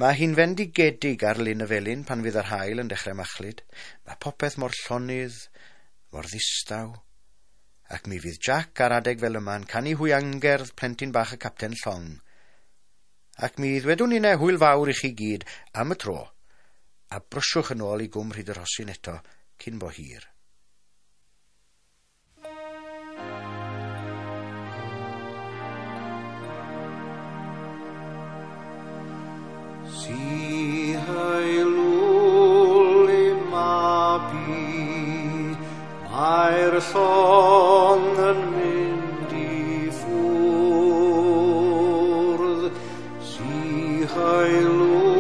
Mae hi'n fendigedig ar Lyn y Felin pan fydd yr haul yn dechrau machlud. Mae popeth mor llonydd, mor ddistaw. Ac mi fydd Jack ar adeg fel yma'n canu hwiangerdd plentyn bach y capten llong. Ac mi ddwedwn ninnau hwyl fawr i chi gyd am y tro, a brysiwch yn ôl i Gwm Rhyd y Rhosyn eto cyn bo hir. Si haelwl i mabi, mae'r llong yn mynd i ffwrdd. Si haelwl